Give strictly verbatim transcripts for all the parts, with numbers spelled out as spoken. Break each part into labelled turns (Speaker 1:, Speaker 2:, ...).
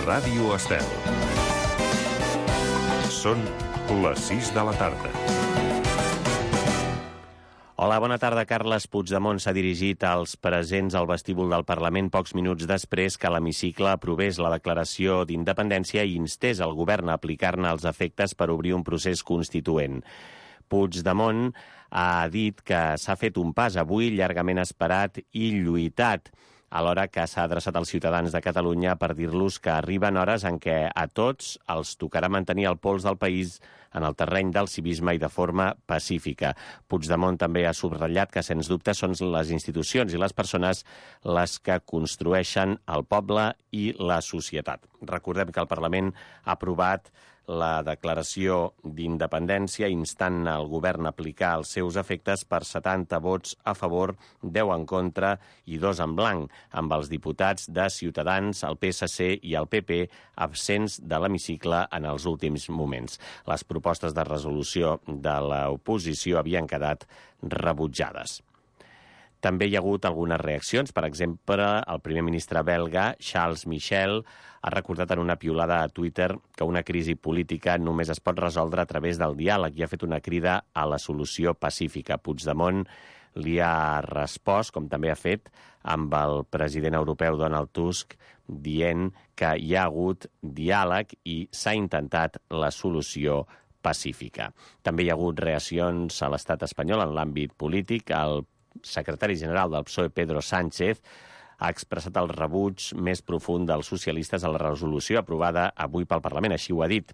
Speaker 1: Ràdio Estel. Són les sis de la tarda.
Speaker 2: Hola, bona tarda. Carles Puigdemont s'ha dirigit als presents al vestíbul del Parlament pocs minuts després que l'hemicicle aprovés la declaració d'independència i instés el govern a aplicar-ne els efectes per obrir un procés constituent. Puigdemont ha dit que s'ha fet un pas avui llargament esperat i lluitat, alhora que s'ha adreçat als ciutadans de Catalunya per dir-los que arriben hores en què a tots els tocarà mantenir el pols del país en el terreny del civisme i de forma pacífica. Puigdemont també ha subratllat que, sens dubte, són les institucions i les persones les que construeixen el poble i la societat. Recordem que el Parlament ha aprovat la declaració d'independència instant el govern a aplicar els seus efectes per setanta vots a favor, deu en contra i dos en blanc, amb els diputats de Ciutadans, el P S C i el P P absents de l'hemicicle en els últims moments. Les propostes de resolució de l'oposició havien quedat rebutjades. També hi ha hagut algunes reaccions. Per exemple, el primer ministre belga, Charles Michel, ha recordat en una piulada a Twitter que una crisi política només es pot resoldre a través del diàleg i ha fet una crida a la solució pacífica. Puigdemont li ha respost, com també ha fet amb el president europeu Donald Tusk, dient que hi ha hagut diàleg i s'ha intentat la solució pacífica. També hi ha hagut reaccions a l'estat espanyol en l'àmbit polític. El secretari general del P S O E, Pedro Sánchez, ha expressat el rebuig més profund dels socialistes a la resolució aprovada avui pel Parlament. Així ho ha dit.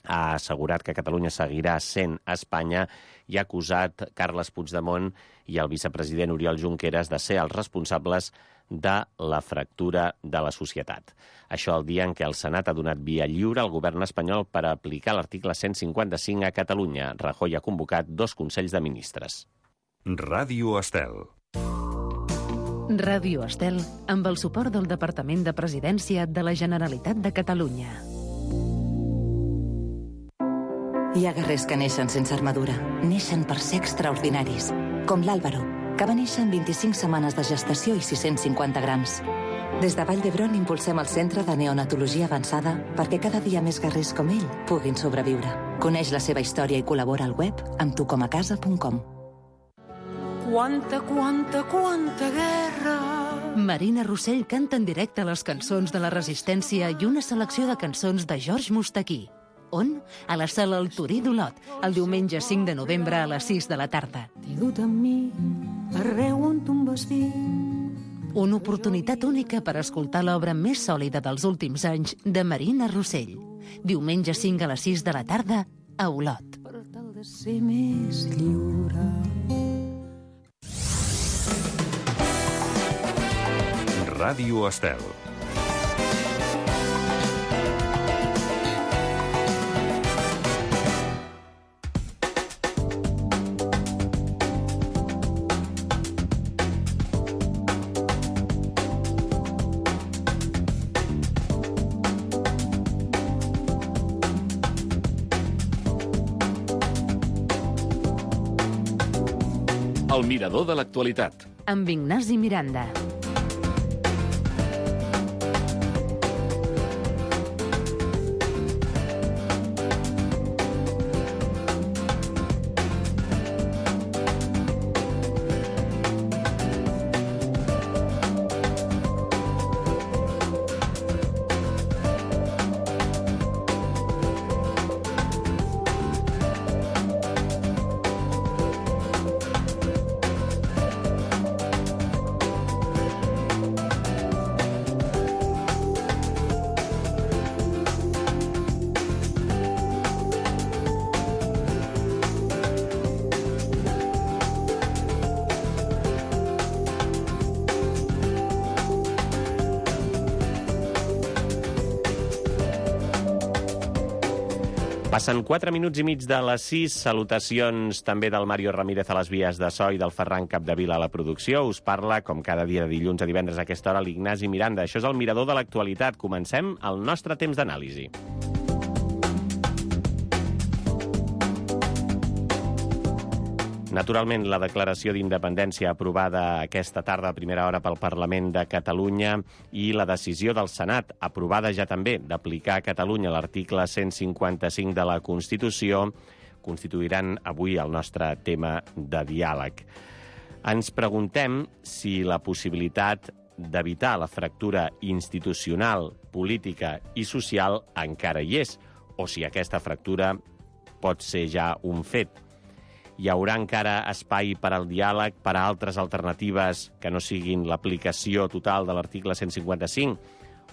Speaker 2: Ha assegurat que Catalunya seguirà sent Espanya i ha acusat Carles Puigdemont i el vicepresident Oriol Junqueras de ser els responsables de la fractura de la societat. Això el dia en què el Senat ha donat via lliure al govern espanyol per aplicar l'article cent cinquanta-cinc a Catalunya. Rajoy ha convocat dos consells de ministres.
Speaker 1: Ràdio Estel.
Speaker 3: Ràdio Estel, amb el suport del Departament de Presidència de la Generalitat de Catalunya.
Speaker 4: Hi ha guerrers que neixen sense armadura. Neixen per ser extraordinaris. Com l'Àlvaro, que va néixer en vint-i-cinc setmanes de gestació i sis-cents cinquanta grams. Des de Vall d'Hebron impulsem el Centre de Neonatologia Avançada perquè cada dia més guerrers com ell puguin sobreviure. Coneix la seva història i col·labora al web amb tu com a casa punt com.
Speaker 5: Quanta, quanta, quanta guerra!
Speaker 3: Marina Rossell canta en directe les cançons de la Resistència i una selecció de cançons de George Mustaquí. On? A la sala El Torí d'Olot, el diumenge cinc de novembre a les sis de la tarda.
Speaker 5: T'he dut amb mi arreu on tu em vas dir.
Speaker 3: Una oportunitat única per escoltar l'obra més sòlida dels últims anys de Marina Rossell. Diumenge cinc a les sis de la tarda a Olot.
Speaker 5: Per tal de ser més lliure.
Speaker 1: Ràdio Estel.
Speaker 6: El mirador de l'actualitat.
Speaker 3: Amb Ignasi Miranda.
Speaker 2: Passen quatre minuts i mig de les sis. Salutacions també del Mario Ramírez a les vies de so i del Ferran Capdevila a la producció. Us parla, com cada dia de dilluns a divendres a aquesta hora, l'Ignasi Miranda. Això és el mirador de l'actualitat. Comencem el nostre temps d'anàlisi. Naturalment, la declaració d'independència aprovada aquesta tarda a primera hora pel Parlament de Catalunya i la decisió del Senat, aprovada ja també, d'aplicar a Catalunya l'article cent cinquanta-cinc de la Constitució, constituiran avui el nostre tema de diàleg. Ens preguntem si la possibilitat d'evitar la fractura institucional, política i social encara hi és, o si aquesta fractura pot ser ja un fet. Hi haurà encara espai per al diàleg, per a altres alternatives que no siguin l'aplicació total de l'article cent cinquanta-cinc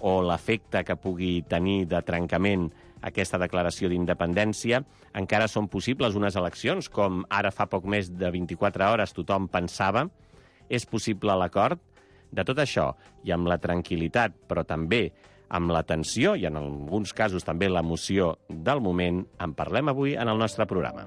Speaker 2: o l'efecte que pugui tenir de trencament aquesta declaració d'independència? Encara són possibles unes eleccions, com ara fa poc més de vint-i-quatre hores tothom pensava? És possible l'acord? De tot això, i amb la tranquil·litat, però també amb la tensió i en alguns casos també l'emoció del moment, en parlem avui en el nostre programa.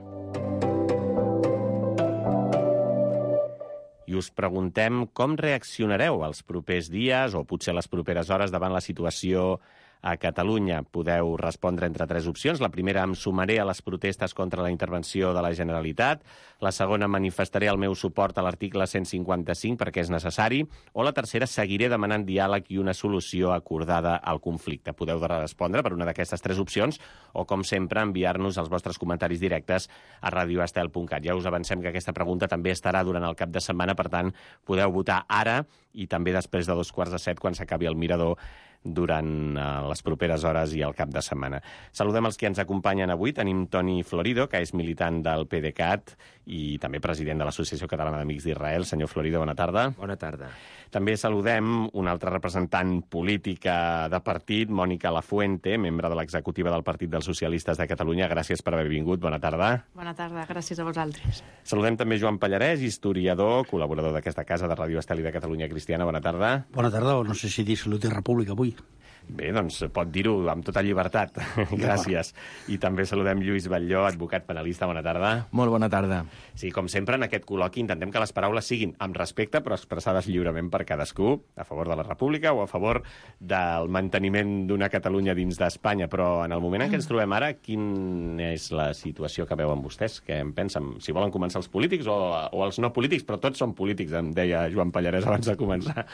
Speaker 2: I us preguntem com reaccionareu els propers dies o potser les properes hores davant la situació a Catalunya. Podeu respondre entre tres opcions. La primera, em sumaré a les protestes contra la intervenció de la Generalitat. La segona, manifestaré el meu suport a l'article cent cinquanta-cinc perquè és necessari. O la tercera, seguiré demanant diàleg i una solució acordada al conflicte. Podeu respondre per una d'aquestes tres opcions o, com sempre, enviar-nos els vostres comentaris directes a radio estel punt cat. Ja us avancem que aquesta pregunta també estarà durant el cap de setmana, per tant, podeu votar ara i també després de dos quarts de set, quan s'acabi el mirador, durant les properes hores i el cap de setmana. Saludem els que ens acompanyen avui. Tenim Toni Florido, que és militant del PDeCAT i també president de l'Associació Catalana d'Amics d'Israel. Senyor Florido, bona tarda.
Speaker 7: Bona tarda.
Speaker 2: També saludem una altra representant política de partit, Mònica Lafuente, membre de l'executiva del Partit dels Socialistes de Catalunya. Gràcies per haver vingut. Bona tarda.
Speaker 8: Bona tarda, gràcies a vosaltres.
Speaker 2: Saludem també Joan Pallarès, historiador, col·laborador d'aquesta casa de Ràdio Estel i de Catalunya Cristiana. Bona tarda.
Speaker 9: Bona tarda, o no sé si dir Salut i República avui.
Speaker 2: Bé, doncs pot dir-ho amb tota llibertat. Gràcies. I també saludem Lluís Batlló, advocat penalista. Bona tarda.
Speaker 7: Molt bona tarda.
Speaker 2: Sí, com sempre, en aquest col·loqui intentem que les paraules siguin amb respecte, però expressades lliurement per cadascú, a favor de la República o a favor del manteniment d'una Catalunya dins d'Espanya. Però en el moment en què ens trobem ara, quina és la situació que veuen vostès? Què en pensen? Si volen començar els polítics o, o els no polítics, però tots són polítics, em deia Joan Pallarès abans de començar.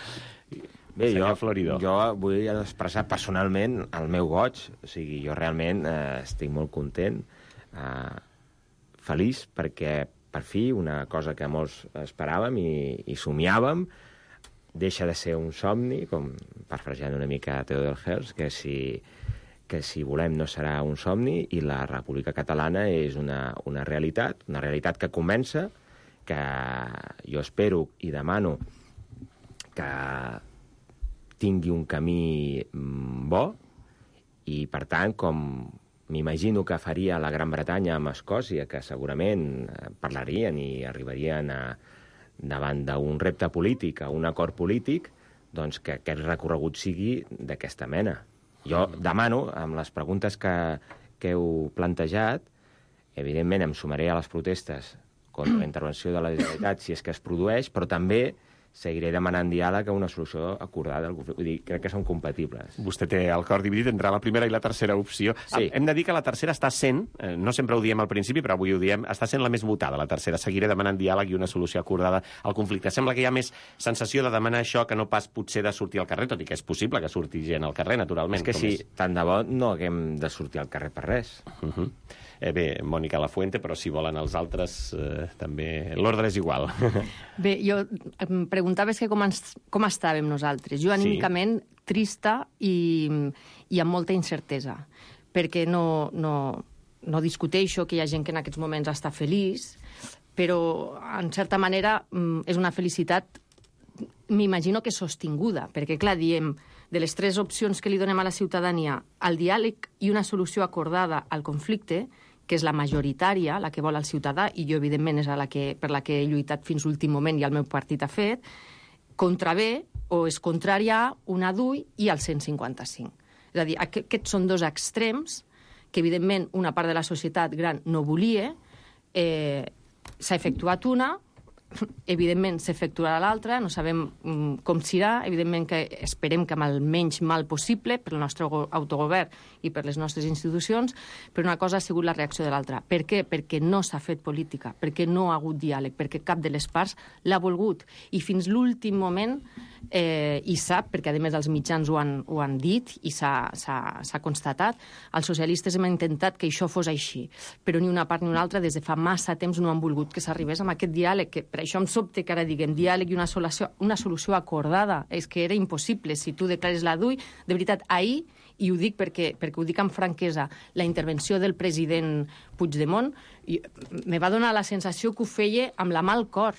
Speaker 7: Bé, jo,
Speaker 2: Florido.
Speaker 7: jo vull expressar personalment el meu goig. O sigui, jo realment eh, estic molt content, eh, feliç, perquè per fi una cosa que molts esperàvem i, i somiàvem deixa de ser un somni, com parafrasejant una mica Theodor Herzl, que si, que si volem no serà un somni, i la República Catalana és una, una realitat, una realitat que comença, que jo espero i demano que tingui un camí bo i, per tant, com m'imagino que faria la Gran Bretanya amb Escòcia, que segurament parlarien i arribarien a, davant d'un repte polític, a un acord polític, doncs que aquest recorregut sigui d'aquesta mena. Jo demano, amb les preguntes que, que heu plantejat, evidentment em sumaré a les protestes contra la intervenció de la Generalitat si és que es produeix, però també seguiré demanant diàleg a una solució acordada. Vull dir, crec que són compatibles.
Speaker 2: Vostè té el cor dividit entre la primera i la tercera opció.
Speaker 7: Sí.
Speaker 2: Hem de dir que la tercera està sent, eh, no sempre ho diem al principi, però avui ho diem, està sent la més votada, la tercera. Seguiré demanant diàleg i una solució acordada al conflicte. Sembla que hi ha més sensació de demanar això que no pas potser de sortir al carrer, tot i que és possible que surti gent al carrer, naturalment.
Speaker 7: És que sí,
Speaker 2: és...
Speaker 7: tant de bo no haguem de sortir al carrer per res.
Speaker 2: Uh -huh. eh, bé, Mònica Lafuente, però si volen els altres, eh, també l'ordre és igual.
Speaker 8: Bé, jo em preguntaves que com, ens, com estàvem nosaltres. Jo anímicament sí. trista i, i amb molta incertesa, perquè no, no, no discuteixo que hi ha gent que en aquests moments està feliç, però, en certa manera, és una felicitat, m'imagino que sostinguda, perquè, clar, diem, de les tres opcions que li donem a la ciutadania, el diàleg i una solució acordada al conflicte, que és la majoritària, la que vol el ciutadà, i jo, evidentment, és la que, per la que he lluitat fins l'últim moment i el meu partit ha fet, contravé o és contrària una D U I i el cent cinquanta-cinc. És a dir, aquests són dos extrems que, evidentment, una part de la societat gran no volia, eh, s'ha efectuat una, evidentment s'efectuarà l'altra, no sabem um, com serà, evidentment que esperem que amb el menys mal possible per al nostre autogovern i per les nostres institucions, però una cosa ha sigut la reacció de l'altra. Per què? Perquè no s'ha fet política, perquè no ha hagut diàleg, perquè cap de les parts l'ha volgut. I fins l'últim moment, eh, i sap, perquè a més els mitjans ho han, ho han dit i s'ha constatat, els socialistes hem intentat que això fos així, però ni una part ni una altra des de fa massa temps no han volgut que s'arribés amb aquest diàleg, que per això em sobte que ara diguem diàleg i una solució, una solució acordada. És que era impossible. Si tu declares la D U I, de veritat, ahir, i ho dic perquè, perquè ho dic amb franquesa, la intervenció del president Puigdemont i, me va donar la sensació que ho feia amb la mà al cor,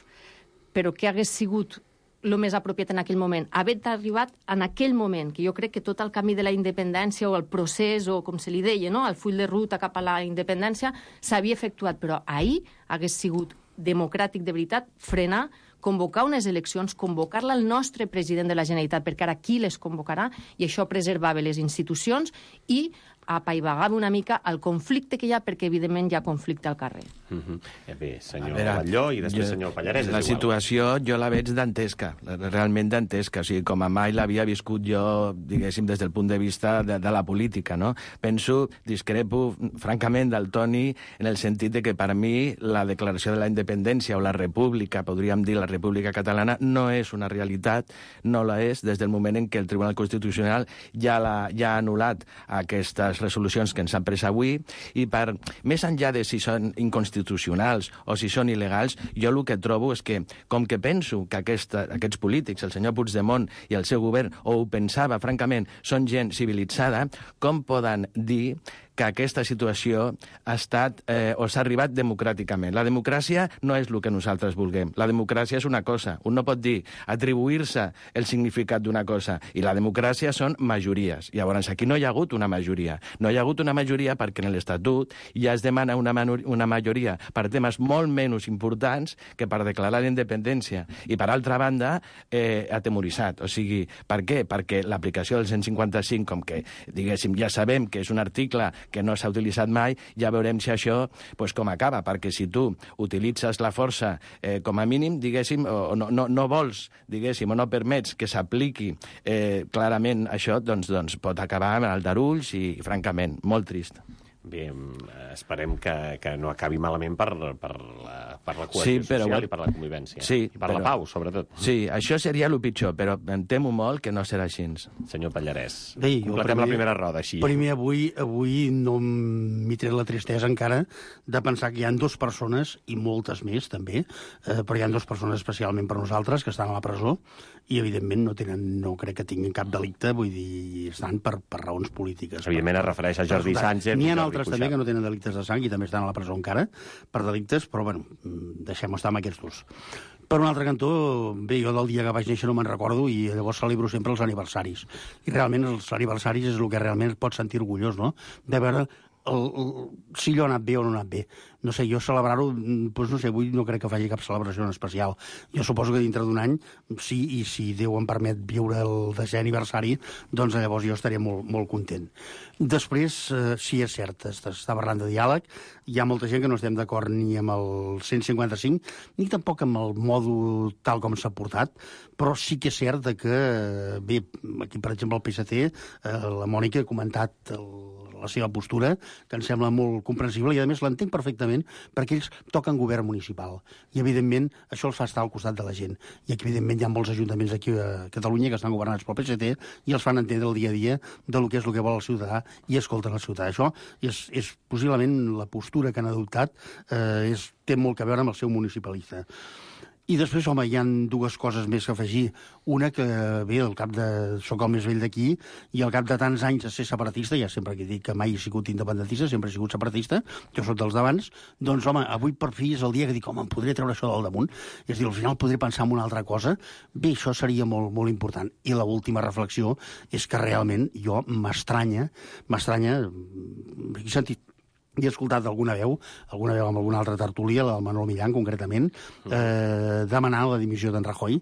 Speaker 8: però que hagués sigut el més apropiat en aquell moment, haver arribat en aquell moment, que jo crec que tot el camí de la independència o el procés, o com se li deia, no? El full de ruta cap a la independència, s'havia efectuat, però ahir hagués sigut democràtic de veritat, frenar, convocar unes eleccions, convocar-la al nostre president de la Generalitat, perquè ara qui les convocarà, i això preservava les institucions i apaivagava una mica el conflicte que hi ha, perquè evidentment hi ha conflicte al carrer.
Speaker 2: Uh-huh. Eh bé, senyor
Speaker 10: veure,
Speaker 2: Batlló i després
Speaker 10: jo,
Speaker 2: senyor Pallarès.
Speaker 10: La situació jo la veig dantesca, realment dantesca, o sigui, com a mai l'havia viscut jo, diguéssim, des del punt de vista de, de la política, no? Penso, discrepo, francament, del Toni, en el sentit de que per mi la declaració de la independència o la república, podríem dir la república catalana, no és una realitat, no la és, des del moment en què el Tribunal Constitucional ja, la, ja ha anul·lat aquestes resolucions que ens han pres avui, i per, més enllà de si són inconstitucionals o si són il·legals, jo el que trobo és que, com que penso que aquesta, aquests polítics, el senyor Puigdemont i el seu govern, o ho pensava, francament, són gent civilitzada, com poden dir que aquesta situació ha estat eh, o s'ha arribat democràticament. La democràcia no és el que nosaltres vulguem. La democràcia és una cosa. Un no pot dir, atribuir-se el significat d'una cosa. I la democràcia són majories. Llavors, aquí no hi ha hagut una majoria. No hi ha hagut una majoria perquè en l'Estatut ja es demana una, una majoria per temes molt menys importants que per declarar la independència. I, per altra banda, eh, atemoritzat. O sigui, per què? Perquè l'aplicació del cent cinquanta-cinc, com que, diguéssim, ja sabem que és un article que no s'ha utilitzat mai, ja veurem si això pues, com acaba, perquè si tu utilitzes la força eh, com a mínim, diguéssim, o no, no, no vols, diguéssim, o no permets que s'apliqui eh, clarament això, doncs, doncs pot acabar amb el darulls i, francament, molt trist.
Speaker 2: Bé, esperem que, que no acabi malament per, per, la, per la cohesió
Speaker 10: sí, però,
Speaker 2: social i per la convivència.
Speaker 10: Sí,
Speaker 2: I per
Speaker 10: però,
Speaker 2: la pau, sobretot.
Speaker 10: Sí, això seria el pitjor, però em temo molt que no serà així.
Speaker 2: Senyor Pallarès,
Speaker 9: Bé,
Speaker 2: completem
Speaker 9: primer,
Speaker 2: la primera roda així.
Speaker 9: Primer, avui, avui no m'hi tret la tristesa encara de pensar que hi ha dues persones, i moltes més també, eh, però hi ha dues persones especialment per nosaltres que estan a la presó i, evidentment, no tenen, no crec que tinguin cap delicte, vull dir, estan per, per raons polítiques.
Speaker 2: Evidentment es refereix a Jordi Sánchez.
Speaker 9: N'hi ha altres també que no tenen delictes de sang i també estan a la presó encara per delictes, però bueno, deixem estar amb aquests dos. Per un altre cantó, bé, jo del dia que vaig néixer no me'n recordo i llavors celebro sempre els aniversaris. I realment els aniversaris és el que realment et pot sentir orgullós, no? De veure el, el, si allò ha anat bé o no ha anat bé. No sé, jo celebrar-ho, doncs no sé, avui no crec que faci cap celebració en especial. Jo suposo que dintre d'un any, sí, i si Déu em permet viure el desè aniversari, doncs llavors jo estaré molt, molt content. Després, eh, sí, és cert, està parlant de diàleg, hi ha molta gent que no estem d'acord ni amb el cent cinquanta-cinc, ni tampoc amb el mòdul tal com s'ha portat, però sí que és cert que, bé, aquí, per exemple, el P S C, eh, la Mònica ha comentat el, la seva postura, que em sembla molt comprensible, i a més l'entenc perfectament, perquè ells toquen govern municipal. I, evidentment, això els fa estar al costat de la gent. I aquí, evidentment, hi ha molts ajuntaments aquí a Catalunya que estan governats pel P S C i els fan entendre el dia a dia del que és el que vol el ciutadà i escolten el ciutadà. Això és, és possiblement la postura que han adoptat, eh, és, té molt a veure amb el seu municipalista. I després, home, hi ha dues coses més que afegir. Una que, bé, al cap de... soc el més vell d'aquí, i al cap de tants anys de ser separatista, ja sempre que dic que mai he sigut independentista, sempre he sigut separatista, jo soc dels d'abans, doncs, home, avui per fi és el dia que dic, home, em podré treure això del damunt, és a dir, al final podré pensar en una altra cosa. Bé, això seria molt, molt important. I l'última reflexió és que realment jo m'estranya, m'estranya, he sentit i he escoltat alguna veu, alguna veu amb alguna altra tertúlia, la del Manol Millán, concretament, eh, demanar la dimissió d'en Rajoy.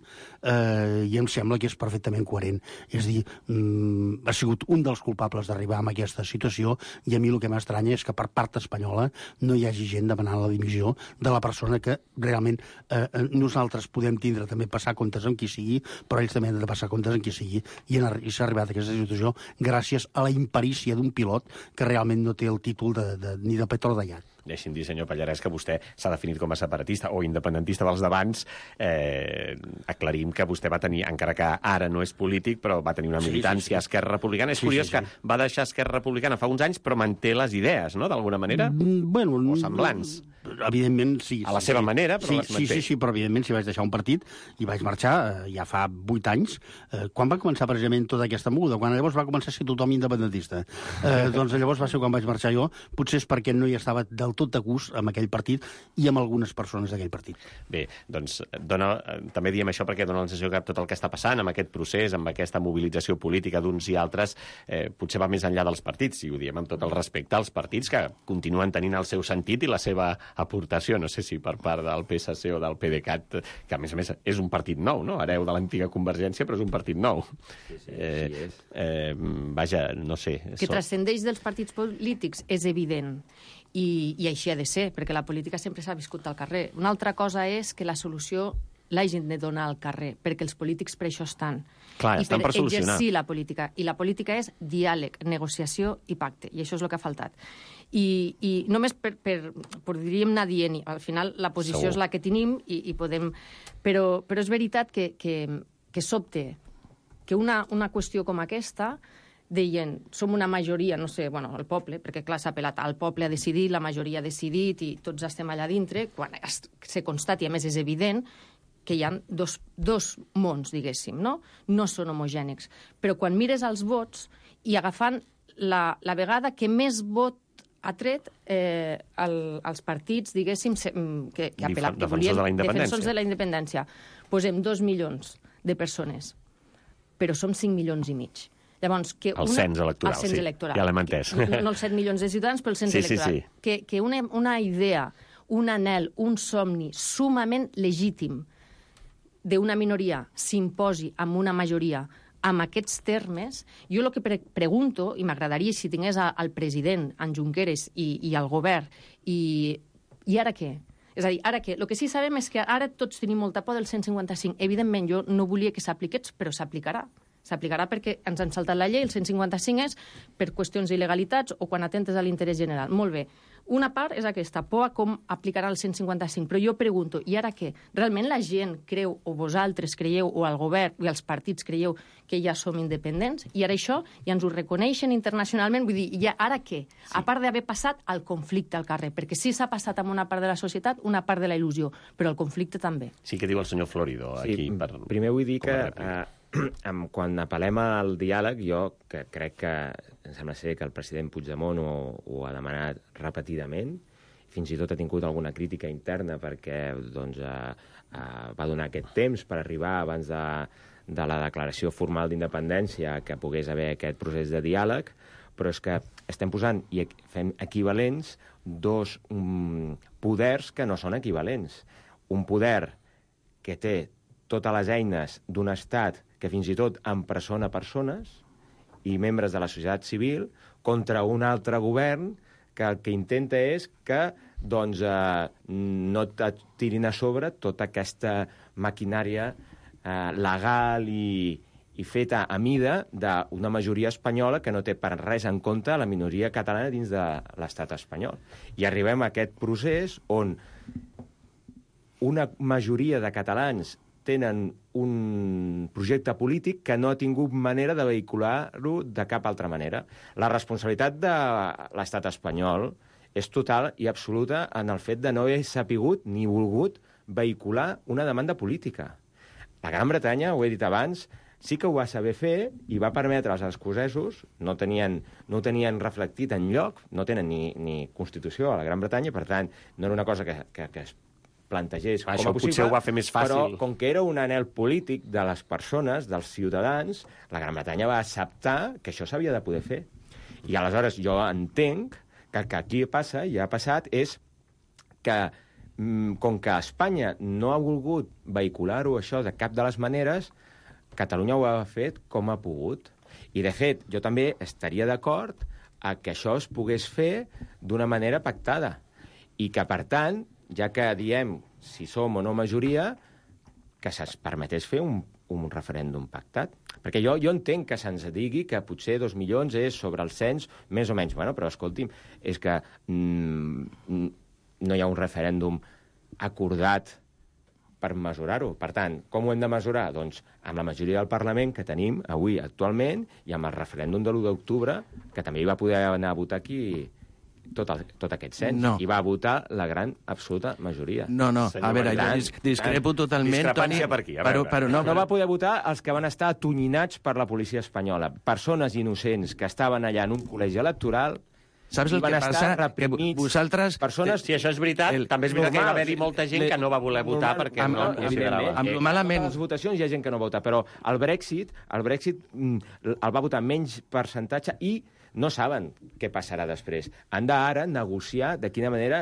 Speaker 9: eh, i em sembla que és perfectament coherent. És a dir, mm, ha sigut un dels culpables d'arribar a aquesta situació, i a mi el que m'estranya és que per part espanyola no hi hagi gent demanant la dimissió de la persona que realment eh, nosaltres podem tindre també passar comptes amb qui sigui, però ells també han de passar comptes amb qui sigui, i, en, i s'ha arribat a aquesta situació gràcies a la imperícia d'un pilot que realment no té el títol de, de, ni de Petro d'allà.
Speaker 2: Deixi'm dir, senyor Pallarès, que vostè s'ha definit com a separatista o independentista dels d'abans. Eh, aclarim que vostè va tenir, encara que ara no és polític, però va tenir una militància sí, sí, sí. a Esquerra Republicana. És sí, curiós sí, sí. que va deixar Esquerra Republicana fa uns anys, però manté les idees, no?, d'alguna manera?
Speaker 9: Mm, bueno,
Speaker 2: o semblants.
Speaker 9: Evidentment, sí.
Speaker 2: A la
Speaker 9: sí,
Speaker 2: seva
Speaker 9: sí.
Speaker 2: manera, però
Speaker 9: sí,
Speaker 2: les manté.
Speaker 9: Sí, sí, sí, però evidentment si vaig deixar un partit i vaig marxar eh, ja fa vuit anys, eh, quan va començar precisament tota aquesta moguda? Quan llavors va començar a ser tothom independentista. Eh, doncs llavors va ser quan vaig marxar jo, potser és perquè no hi estava del tot de gust amb aquell partit i amb algunes persones d'aquell partit.
Speaker 2: Bé, doncs dona, també diem això perquè dona la sensació que tot el que està passant amb aquest procés, amb aquesta mobilització política d'uns i altres, eh, potser va més enllà dels partits, i ho diem amb tot el respecte als partits que continuen tenint el seu sentit i la seva aportació, no sé si per part del P S C o del PDeCAT, que a més a més és un partit nou, no?, hereu de l'antiga Convergència, però és un partit nou.
Speaker 7: Sí, sí,
Speaker 2: eh,
Speaker 7: sí és.
Speaker 2: Eh, vaja, no sé.
Speaker 8: Que transcendeix dels partits polítics és evident. I, i així ha de ser, perquè la política sempre s'ha viscut al carrer. Una altra cosa és que la solució l'hagin de donar al carrer, perquè els polítics per això estan.
Speaker 2: Clar,
Speaker 8: I
Speaker 2: estan per, per solucionar.
Speaker 8: exercir la política. I la política és diàleg, negociació i pacte, i això és el que ha faltat. I, i només per, per, podríem anar dient, al final la posició
Speaker 2: Segur.
Speaker 8: és la que tenim i, i podem... Però, però és veritat que, que, que sobte que una, una qüestió com aquesta deien, som una majoria, no sé, bueno, el poble, perquè clar, s'ha apel·lat al poble ha decidit, la majoria ha decidit i tots estem allà dintre, quan es, se constati, a més és evident, que hi ha dos, dos mons, diguéssim, no? No són homogènics. Però quan mires els vots i agafant la, la vegada que més vot ha tret eh, el, els partits, diguéssim, que, que, apel·la, que volien...
Speaker 2: Defensors de la independència.
Speaker 8: Defensors de la independència. Posem dos milions de persones, però som cinc milions i mig. Llavors, que
Speaker 2: el
Speaker 8: una,
Speaker 2: cens electoral,
Speaker 8: el cens
Speaker 2: sí,
Speaker 8: electoral.
Speaker 2: ja l'hem entès.
Speaker 8: No, no els set milions de ciutadans, però el cens
Speaker 2: sí,
Speaker 8: electoral.
Speaker 2: Sí, sí.
Speaker 8: Que, que una, una idea, un anhel, un somni sumament legítim d'una minoria s'imposi amb una majoria amb aquests termes, jo el que pre pregunto, i m'agradaria si tingués a, al president, en Junqueras, i, i al govern, i, i ara què? És a dir, ara què? El que sí sabem és que ara tots tenim molta por del cent cinquanta cinc. Evidentment, jo no volia que s'apliqués, però s'aplicarà. S'aplicarà perquè ens han saltat la llei, el cent cinquanta cinc és per qüestions d'il·legalitats o quan atentes a l'interès general. Molt bé. Una part és aquesta, por a com aplicarà el cent cinquanta cinc. Però jo pregunto, i ara què? Realment la gent creu, o vosaltres creieu, o el govern i els partits creieu que ja som independents? I ara això ja ens ho reconeixen internacionalment? Vull dir, ja ara què? Sí. A part d'haver passat el conflicte al carrer, perquè sí s'ha passat amb una part de la societat, una part de la il·lusió, però el conflicte també.
Speaker 2: Sí, que diu el senyor Florido aquí.
Speaker 7: Sí,
Speaker 2: per,
Speaker 7: primer vull dir que... quan apel·lem al diàleg, jo que crec que em sembla ser que el president Puigdemont ho, ho ha demanat repetidament, fins i tot ha tingut alguna crítica interna perquè doncs, eh, eh, va donar aquest temps per arribar abans de, de la declaració formal d'independència que pogués haver aquest procés de diàleg, però és que estem posant i fem equivalents dos um, poders que no són equivalents. Un poder que té totes les eines d'un estat que fins i tot empresona persones i membres de la societat civil contra un altre govern que el que intenta és que doncs, eh, no et tirin a sobre tota aquesta maquinària eh, legal i, i feta a mida d'una majoria espanyola que no té per res en compte la minoria catalana dins de l'estat espanyol. I arribem a aquest procés on una majoria de catalans tenen un projecte polític que no ha tingut manera de vehicular-lo de cap altra manera. La responsabilitat de l'estat espanyol és total i absoluta en el fet de no haver sapigut ni volgut vehicular una demanda política. La Gran Bretanya, ho he dit abans, sí que ho va saber fer i va permetre als escocesos, no tenien, no tenien reflectit enlloc, no tenen ni, ni Constitució a la Gran Bretanya, per tant, no era una cosa que, que, que es plantegés com a
Speaker 2: Això
Speaker 7: possible,
Speaker 2: potser ho va fer més fàcil.
Speaker 7: Però com que era un anhel polític de les persones, dels ciutadans, la Gran Bretanya va acceptar que això s'havia de poder fer. I aleshores jo entenc que el que aquí passa, i ha passat, és que com que Espanya no ha volgut vehicular-ho això de cap de les maneres, Catalunya ho ha fet com ha pogut. I, de fet, jo també estaria d'acord a que això es pogués fer d'una manera pactada. I que, per tant, ja que diem si som o no majoria, que se'ns permetés fer un, un referèndum pactat. Perquè jo, jo entenc que se'ns digui que potser dos milions és sobre el cens, més o menys. Bueno, però, escolti'm, és que mm, no hi ha un referèndum acordat per mesurar-ho. Per tant, com ho hem de mesurar? Doncs amb la majoria del Parlament que tenim avui actualment i amb el referèndum de l'u d'octubre, que també hi va poder anar a votar aquí tot, el, tot aquest cens.
Speaker 10: No.
Speaker 7: I va votar la gran absoluta majoria.
Speaker 10: No, no,
Speaker 7: Senyor
Speaker 10: a veure, jo
Speaker 7: Marilán,
Speaker 10: dis discrepo totalment,
Speaker 2: discrepància
Speaker 10: Toni,
Speaker 2: per aquí, a
Speaker 10: però,
Speaker 2: veure.
Speaker 10: però no,
Speaker 7: no va poder votar els que van estar atonyinats per la policia espanyola. Persones innocents que estaven allà en un col·legi electoral.
Speaker 10: Saps el
Speaker 7: van
Speaker 10: que
Speaker 7: estar
Speaker 10: passa? Que
Speaker 7: reprimits.
Speaker 10: vosaltres...
Speaker 7: Persones...
Speaker 2: Si això és veritat,
Speaker 7: El-
Speaker 2: també és veritat que hi va
Speaker 7: normal.
Speaker 2: haver-hi molta gent que no va voler votar
Speaker 7: Normal,
Speaker 2: perquè
Speaker 10: amb-
Speaker 2: no
Speaker 10: amb-
Speaker 2: considerava.
Speaker 10: amb-
Speaker 7: Eh,
Speaker 10: malament.
Speaker 7: a les votacions hi ha gent que no vota, però el Brexit, el Brexit mm, el va votar menys percentatge i no saben què passarà després. Han d'ara negociar de quina manera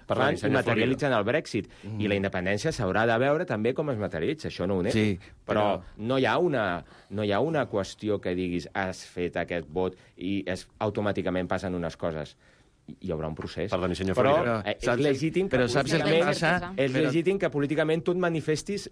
Speaker 7: fan i materialitzen el Brexit. Mm. I la independència s'haurà de veure també com es materialitza. Això no ho nego.
Speaker 10: Sí,
Speaker 7: però,
Speaker 10: però-
Speaker 7: no, hi ha una, no hi ha una qüestió que diguis has fet aquest vot i es, automàticament passen unes coses. Hi haurà un procés.
Speaker 2: Perdoni, senyor
Speaker 7: però
Speaker 2: Florida.
Speaker 7: eh, és
Speaker 10: Saps-
Speaker 7: legítim que
Speaker 10: però saps el que
Speaker 7: políticament-
Speaker 10: passa?
Speaker 7: és
Speaker 10: Però-
Speaker 7: legítim que políticament tu et manifestis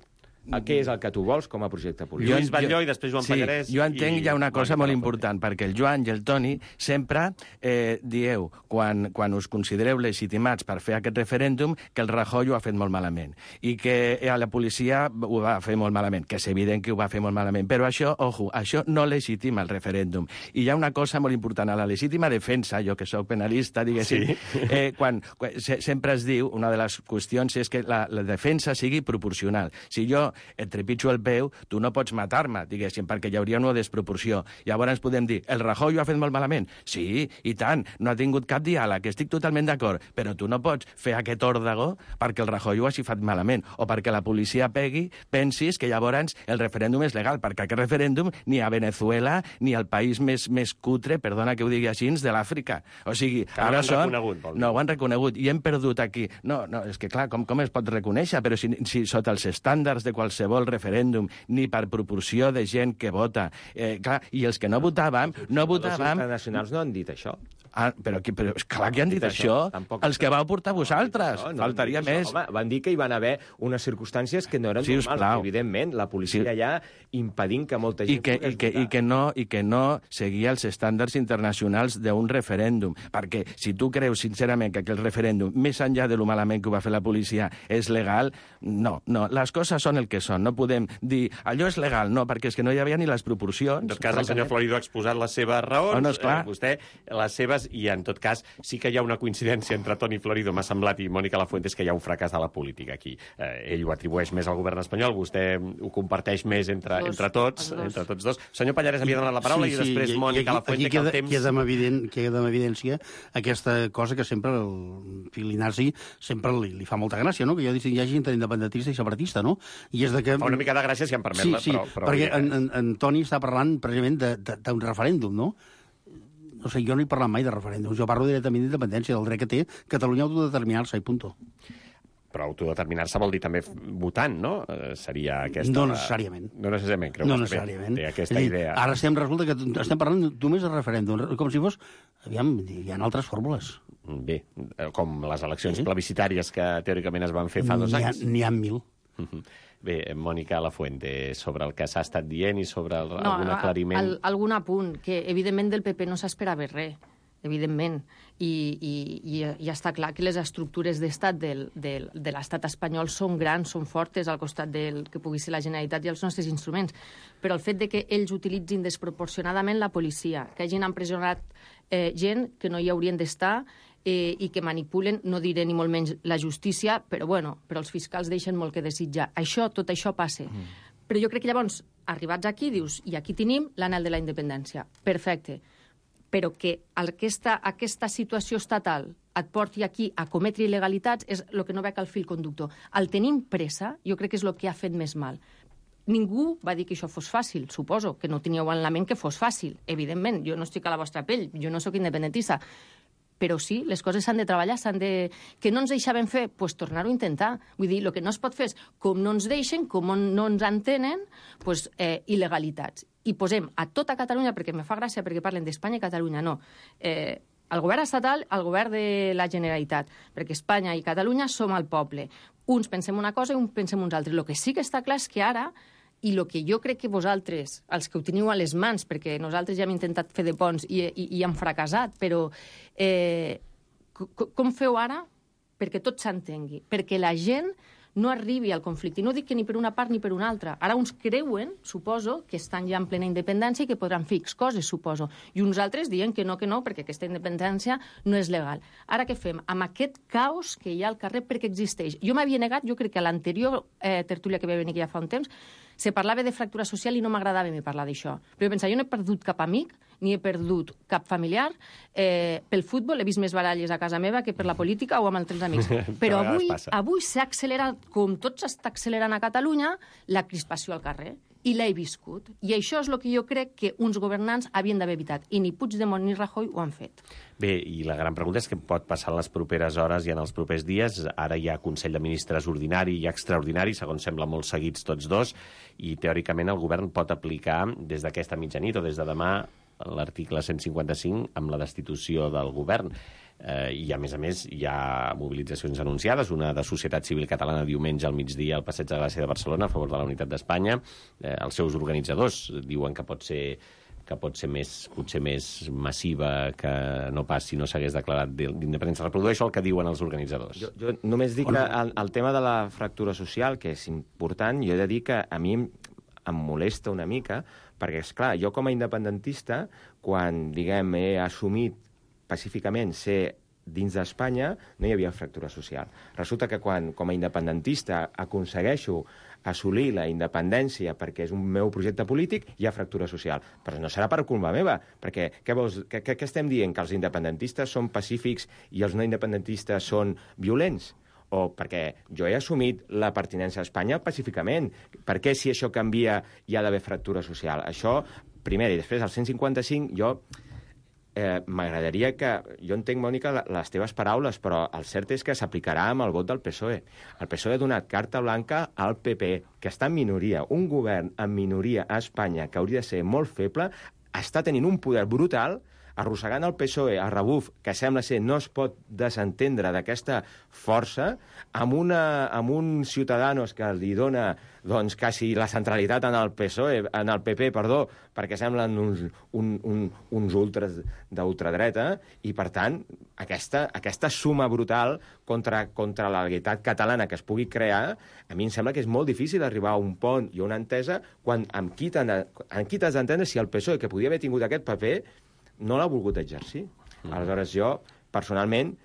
Speaker 7: a què és el que tu vols com a projecte polític.
Speaker 2: Lluís Batlló i després Joan
Speaker 10: sí,
Speaker 2: Pallarès
Speaker 10: jo entenc
Speaker 2: i
Speaker 10: ja una cosa
Speaker 2: Mònica
Speaker 10: molt
Speaker 2: Lafuente.
Speaker 10: important, perquè el Joan i el Toni sempre eh, dieu, quan, quan us considereu legitimats per fer aquest referèndum, que el Rajoy ho ha fet molt malament i que eh, la policia ho va fer molt malament, que és evident que ho va fer molt malament. Però això, ojo, això no legitima el referèndum. I hi ha una cosa molt important, a la legítima defensa, jo que sóc penalista, diguéssim, sí. eh, quan, quan se, sempre es diu, una de les qüestions és que la, la defensa sigui proporcional. Si jo et trepitjo el peu, tu no pots matar-me, diguéssim, perquè hi hauria una desproporció. Llavors podem dir, el Rajoy ho ha fet molt malament? Sí, i tant, no ha tingut cap diàleg, estic totalment d'acord, però tu no pots fer aquest òrdago perquè el Rajoy ho hagi fet malament, o perquè la policia pegui, pensis que llavors el referèndum és legal, perquè aquest referèndum ni a Venezuela ni al país més, més cutre, perdona que ho digui així, de l'Àfrica. O sigui,
Speaker 2: Que no
Speaker 10: ara
Speaker 2: ho han
Speaker 10: són...
Speaker 2: reconegut, vol dir.
Speaker 10: No ho han reconegut, i hem perdut aquí. No, no, és que clar, com, com es pot reconèixer? Però si, si sota els estàndards de qualsevol referèndum, ni per proporció de gent que vota. Eh, clar, i els que no votàvem, no
Speaker 7: Els
Speaker 10: votàvem...
Speaker 7: internacionals no han dit això.
Speaker 10: Ah, però, qui- però clar que han dit això.
Speaker 7: Tampoc-
Speaker 10: Els que vau portar vosaltres.
Speaker 7: No, no
Speaker 10: Faltaria
Speaker 7: han dit
Speaker 10: més.
Speaker 7: això. Home, van dir que hi van haver unes circumstàncies que no eren
Speaker 10: Sí, us
Speaker 7: normals.
Speaker 10: plau.
Speaker 7: Evidentment, la policia
Speaker 10: Sí.
Speaker 7: allà impedint que molta gent
Speaker 10: I que, i,
Speaker 7: pogués
Speaker 10: que,
Speaker 7: votar.
Speaker 10: i, que no, I que no seguia els estàndards internacionals d'un referèndum. Perquè si tu creus sincerament que aquell referèndum, més enllà de lo malament que ho va fer la policia, és legal, no, no. Les coses són el que són. No podem dir allò és legal, no, perquè és que no hi havia ni les proporcions.
Speaker 2: En tot cas, el senyor Florido ha exposat les seves raons,
Speaker 10: Oh, no, esclar.
Speaker 2: eh, vostè les seves, i en tot cas sí que hi ha una coincidència entre Toni Florido, m'ha semblat, i Mònica Lafuente, és que hi ha un fracàs de la política aquí. Eh, ell ho atribueix més al govern espanyol, vostè ho comparteix més entre,
Speaker 8: Dos,
Speaker 2: entre tots,
Speaker 8: els dos.
Speaker 2: entre tots dos. Senyor Pallarès havia donat la paraula i després
Speaker 9: i-
Speaker 2: Mònica
Speaker 9: i aquí,
Speaker 2: Lafuente,
Speaker 9: aquí
Speaker 2: que el
Speaker 9: queda,
Speaker 2: temps...
Speaker 9: queda, amb evident, queda amb evidència aquesta cosa que sempre el Filinazi sempre li, li fa molta gràcia, no? Que jo distingeixi entre independentista i separatista, no? I és de que...
Speaker 2: Fa una mica de gràcia, si em permet,
Speaker 9: Sí,
Speaker 2: la-
Speaker 9: sí,
Speaker 2: però, però
Speaker 9: perquè
Speaker 2: ja-
Speaker 9: en, en, en Toni està parlant precisament de- de- d'un referèndum, no? No sé, jo no he parlat mai de referèndums, jo parlo directament d'independència, del dret que té Catalunya a autodeterminar-se, i punto.
Speaker 2: Però autodeterminar-se vol dir també f- votant, no? Eh, seria aquesta...
Speaker 9: No necessàriament.
Speaker 2: No necessàriament, creu
Speaker 9: No
Speaker 2: que està bé.
Speaker 9: necessàriament.
Speaker 2: Té aquesta
Speaker 9: És a dir,
Speaker 2: idea.
Speaker 9: Ara estem, resulta que estem parlant només de referèndum, com si fos... Aviam, hi ha altres fórmules.
Speaker 2: Bé, eh, com les eleccions
Speaker 9: Sí.
Speaker 2: plebiscitàries que teòricament es van fer fa dos
Speaker 9: N'hi ha,
Speaker 2: anys.
Speaker 9: n'hi ha mil.
Speaker 2: Mhm. Bé, eh, Mònica Lafuente, sobre el que s'ha estat dient i sobre el,
Speaker 8: No,
Speaker 2: algun
Speaker 8: a-
Speaker 2: aclariment...
Speaker 8: al- algun apunt, que evidentment del P P no s'esperava res, evidentment, i, i, i ja està clar que les estructures d'estat del, del, de l'estat espanyol són grans, són fortes al costat del que pugui ser la Generalitat i els nostres instruments, però el fet de que ells utilitzin desproporcionadament la policia, que hagin empresonat eh, gent que no hi haurien d'estar, eh, i que manipulen, no diré ni molt menys la justícia, però bueno, però els fiscals deixen molt que desitjar. Això, tot això passa. Mm. Però jo crec que llavors, arribats aquí, dius, i aquí tenim l'anel de la independència. Perfecte. Però que aquesta, aquesta situació estatal et porti aquí a cometre il·legalitats és el que no veig al fil conductor. El tenim pressa, jo crec que és el que ha fet més mal. Ningú va dir que això fos fàcil, suposo, que no teníeu en la ment que fos fàcil, evidentment. Jo no estic a la vostra pell, jo no sóc independentista. però sí, les coses s'han de treballar, s'han de... Que no ens deixaven fer? Doncs pues tornar-ho a intentar. Vull dir, el que no es pot fer és, com no ens deixen, com no ens entenen, pues, eh, il·legalitats. I posem a tota Catalunya, perquè me fa gràcia, perquè parlen d'Espanya i Catalunya, no. Eh, el govern estatal, el govern de la Generalitat, perquè Espanya i Catalunya som el poble. Uns pensem una cosa i uns pensem uns altres. El que sí que està clar és que ara, i el que jo crec que vosaltres, els que ho teniu a les mans, perquè nosaltres ja hem intentat fer de ponts i, i, i hem fracassat, però eh, com feu ara perquè tot s'entengui? Perquè la gent no arribi al conflicte. I no dic que ni per una part ni per una altra. Ara uns creuen, suposo, que estan ja en plena independència i que podran fer X coses, suposo. I uns altres diuen que no, que no, perquè aquesta independència no és legal. Ara què fem? Amb aquest caos que hi ha al carrer perquè existeix. Jo m'havia negat, jo crec que a l'anterior eh, tertúlia que va venir aquí ja fa un temps, se parlava de fractura social i no m'agradava a parlar d'això. Però jo pensava, jo no he perdut cap amic, ni he perdut cap familiar. Eh, pel futbol he vist més baralles a casa meva que per la política o amb altres amics. Però avui, avui s'ha accelerat, com tot s'està accelerant a Catalunya, la crispació al carrer. I l'he viscut. I això és el que jo crec que uns governants havien d'haver evitat. I ni Puigdemont ni Rajoy ho han fet.
Speaker 2: Bé, i la gran pregunta és què pot passar en les properes hores i en els propers dies. Ara hi ha Consell de Ministres ordinari i extraordinari, segons sembla molt seguits tots dos, i teòricament el govern pot aplicar des d'aquesta mitjanit o des de demà l'article cent cinquanta-cinc amb la destitució del govern. Eh, I, a més a més, hi ha mobilitzacions anunciades, una de Societat Civil Catalana diumenge al migdia al Passeig de Gràcia de Barcelona a favor de la unitat d'Espanya. Eh, els seus organitzadors diuen que pot ser que pot ser més, potser més massiva que no pas si no s'hagués declarat d'independència. Reprodueixo el que diuen els organitzadors.
Speaker 7: Jo, jo només dic que el, el tema de la fractura social, que és important, jo he de dir que a mi em, em molesta una mica, perquè, és clar, jo com a independentista, quan, diguem, he assumit pacíficament ser dins d'Espanya, no hi havia fractura social. Resulta que quan, com a independentista, aconsegueixo assolir la independència perquè és un meu projecte polític, hi ha fractura social. Però no serà per culpa meva, perquè què, vols, què, què estem dient? Que els independentistes són pacífics i els no independentistes són violents? O perquè jo he assumit la pertinença a Espanya pacíficament. Per què, si això canvia, hi ha d'haver fractura social? Això, primer, i després, el cent cinquanta-cinc, jo... Eh, m'agradaria que... Jo entenc, Mònica, les teves paraules, però el cert és que s'aplicarà amb el vot del P S O E. El P S O E ha donat carta blanca al P P, que està en minoria. Un govern en minoria a Espanya, que hauria de ser molt feble, està tenint un poder brutal, arrossegant el P S O E a rebuf, que sembla ser no es pot desentendre d'aquesta força, amb, una, amb un Ciudadanos que li dona doncs, quasi la centralitat en el P S O E, en el P P, perdó, perquè semblen uns, un, un, uns ultres d'ultradreta, i, per tant, aquesta, aquesta suma brutal contra, contra la legalitat catalana que es pugui crear, a mi em sembla que és molt difícil arribar a un pont i a una entesa quan amb qui t'has d'entendre si el P S O E, que podia haver tingut aquest paper, no l'ha volgut exercir. Mm. Aleshores, jo, personalment,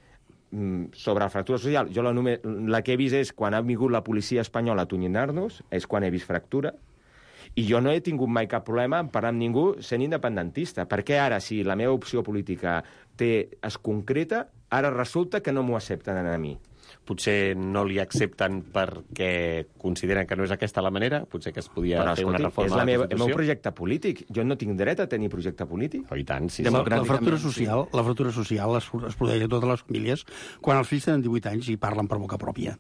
Speaker 7: sobre la fractura social, jo la, només, la que he vist és quan ha vingut la policia espanyola a atonyinar-nos, és quan he vist fractura, i jo no he tingut mai cap problema en parlar amb ningú sent independentista. Per què ara, si la meva opció política té, es concreta, ara resulta que no m'ho accepten a mi?
Speaker 2: Potser no li accepten perquè consideren que no és aquesta la manera? Potser que es podia
Speaker 7: Però,
Speaker 2: fer
Speaker 7: escolti,
Speaker 2: una reforma
Speaker 7: és la
Speaker 2: de la
Speaker 7: meva,
Speaker 2: Constitució?
Speaker 7: el meu projecte polític. Jo no tinc dret a tenir projecte polític.
Speaker 2: Oh, i tant, sí.
Speaker 9: La, la fractura social, la fractura social es, es produeix a totes les famílies quan els fills tenen divuit anys i parlen per boca pròpia.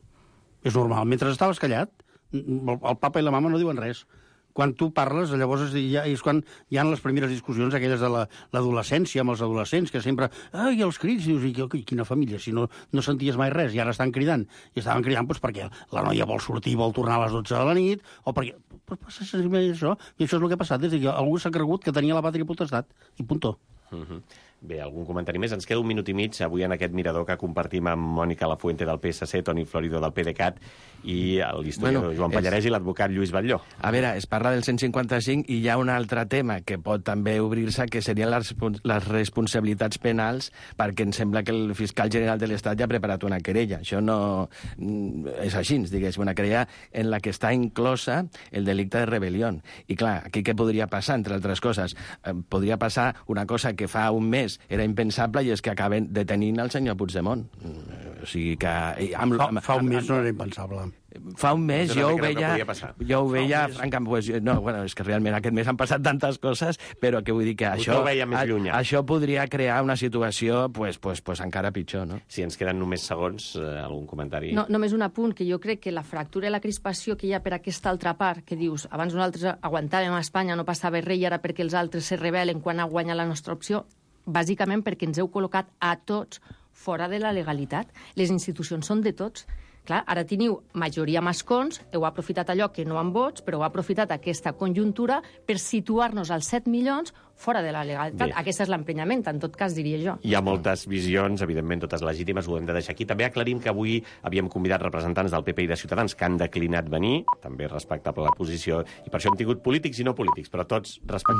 Speaker 9: És normal. Mentre estaves callat, el, el papa i la mama no diuen res. Quan tu parles, llavors ja és quan hi ha les primeres discussions aquelles de l'adolescència, amb els adolescents, que sempre... Ai, els crits, dius, i quina família, si no, no senties mai res, i ara estan cridant. I estaven cridant doncs, perquè la noia vol sortir, vol tornar a les dotze de la nit, o perquè... Però passa això, i això és el que ha passat, des que algú s'ha cregut que tenia la pàtria potestat, i puntó.
Speaker 2: Uh -huh. Bé, algun comentari més? Ens queda un minut i mig avui en aquest mirador que compartim amb Mònica Lafuente del P S C, Toni Florido del PDeCAT i l'historiador bueno, Joan Pallarès és... i l'advocat Lluís Batlló.
Speaker 10: A veure, es parla del cent cinquanta-cinc i hi ha un altre tema que pot també obrir-se, que serien les, les responsabilitats penals, perquè em sembla que el fiscal general de l'Estat ja ha preparat una querella. Això no és així, diguéssim, una querella en la que està inclosa el delicte de rebel·lió. I clar, aquí què podria passar, entre altres coses? Eh, podria passar una cosa que fa un mes més era impensable, i és que acaben detenint el senyor Puigdemont. O sigui que... Amb,
Speaker 9: fa,
Speaker 10: amb,
Speaker 9: fa un
Speaker 10: amb,
Speaker 9: mes no era impensable.
Speaker 10: Fa un mes jo ho veia, jo ho veia,
Speaker 9: mes...
Speaker 10: francament, pues, no, bueno, és que realment aquest mes han passat tantes coses, però que vull dir que això,
Speaker 2: ho veia més llunyà.
Speaker 10: això podria crear una situació pues, pues, pues encara pitjor, no?
Speaker 2: Si ens queden només segons, eh, algun comentari?
Speaker 8: No, només un apunt, que jo crec que la fractura i la crispació que hi ha per aquesta altra part, que dius, abans nosaltres aguantàvem a Espanya, no passava res, i ara perquè els altres se rebel·len quan ha guanyat la nostra opció, bàsicament perquè ens heu col·locat a tots fora de la legalitat. Les institucions són de tots. Clar, ara teniu majoria amb escons, heu aprofitat allò que no amb vots, però heu aprofitat aquesta conjuntura per situar-nos als set milions fora de la legalitat.
Speaker 2: Bé.
Speaker 8: Aquest és l'emprenyament, en tot cas, diria jo.
Speaker 2: Hi ha moltes visions, evidentment totes legítimes, ho hem de deixar aquí. També aclarim que avui havíem convidat representants del P P i de Ciutadans que han declinat venir, també respectable la posició, i per això hem tingut polítics i no polítics, però tots respectables.